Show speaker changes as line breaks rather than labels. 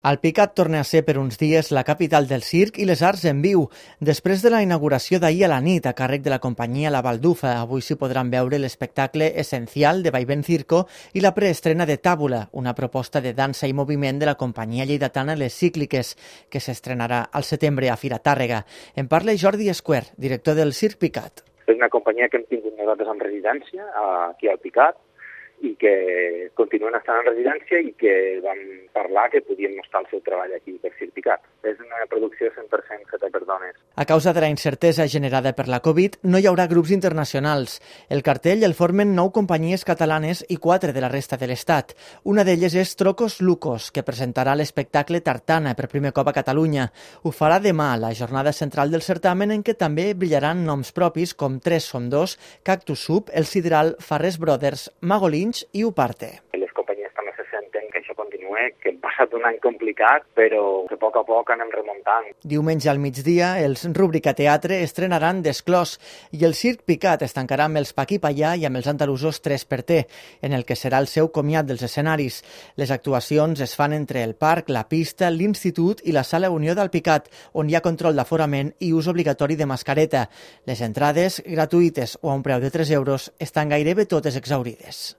Alpicat torna a ser per uns dies la capital del circ i les arts en viu. Després de la inauguració d'ahir a la nit a càrrec de la companyia La Baldufa, avui s'hi podran veure l'espectacle Essencial de Vaivén Circo i la preestrena de Tàbula, una proposta de dansa i moviment de la companyia lleidatana Les Cícliques, que s'estrenarà al setembre a Fira Tàrrega. En parla Jordi Esquer, director del Circ Picat.
És una companyia que hem tingut nosaltres en residència aquí al Picat i que continuen estant en residència i que vam parlar que podien mostrar el seu treball aquí per Circ Picat. És una producció 100% feta per dones.
A causa de la incertesa generada per la Covid, no hi haurà grups internacionals. El cartell el formen 9 companyies catalanes i 4 de la resta de l'Estat. Una d'elles és Trocos Lucos, que presentarà l'espectacle Tartana per primer cop a Catalunya. Ho farà demà, la jornada central del certamen, en què també brillaran noms propis com 3 som 2, Cactus Soup, El Sideral, Farrés Brothers, Mago Lynch i Uparte.
Les companyies també se senten que això continua, que hem passat un any complicat, però que a poc anem remuntant.
Diumenge al migdia, els Rúbrica Teatre estrenaran Desclòs i el Circ Picat es tancarà amb els Paquí Pallà i amb els andalusos 3xT, en el que serà el seu comiat dels escenaris. Les actuacions es fan entre el parc, la pista, l'Institut i la Sala Unió d'Alpicat, on hi ha control d'aforament i ús obligatori de mascareta. Les entrades, gratuïtes o a un preu de 3 euros, estan gairebé totes exhaurides.